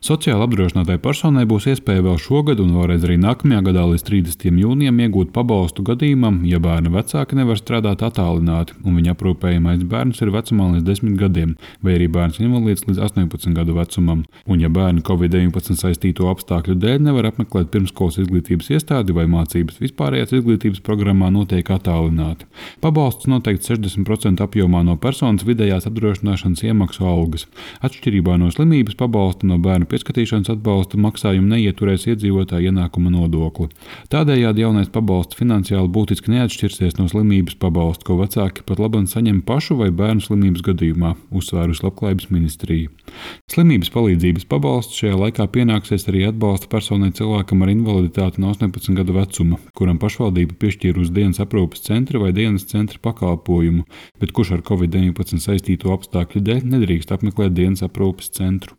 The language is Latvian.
Sociāli apdrošinātai personai būs iespēja vēl šogad un vēlreiz arī nākamajā gadā līdz 30. jūnijam iegūt pabalstu gadījumam, ja bērna vecāki nevar strādāt attālināti un viņa aprūpējamais bērns ir vecumā līdz 10 gadiem, vai arī bērns invalīds līdz 18 gadu vecumam, un ja bērni Covid-19 saistīto apstākļu dēļ nevar apmeklēt pirmskolas izglītības iestādi vai mācības vispārējās izglītības programmā notiek attālināti. Pabalsts noteikts 60% apjomā no personas vidējās apdrošināšanas iemaksu algas. Atšķirībā no slimības pabalsta no bērnu pieskatīšanas atbalsta maksājumu neieturēs iedzīvotāja ienākuma nodokli. Tādējādi jaunais pabalsts finansiāli būtiski neatšķirsies no slimības pabalsta, ko vecāki pat labāk saņem pašu vai bērnu slimības gadījumā, uzsvērusi Labklājības ministrija. Slimības palīdzības pabalsts šajā laikā pienāksies arī atbalsta personai cilvēkam ar invaliditāti no 18 gadu vecuma, kuram pašvaldība piešķīra uz dienas aprūpes centra vai dienas centra pakalpojumu, bet kurš ar Covid-19 saistīto apstākļu dēļ nedrīkst apmeklēt dienas aprūpes centru.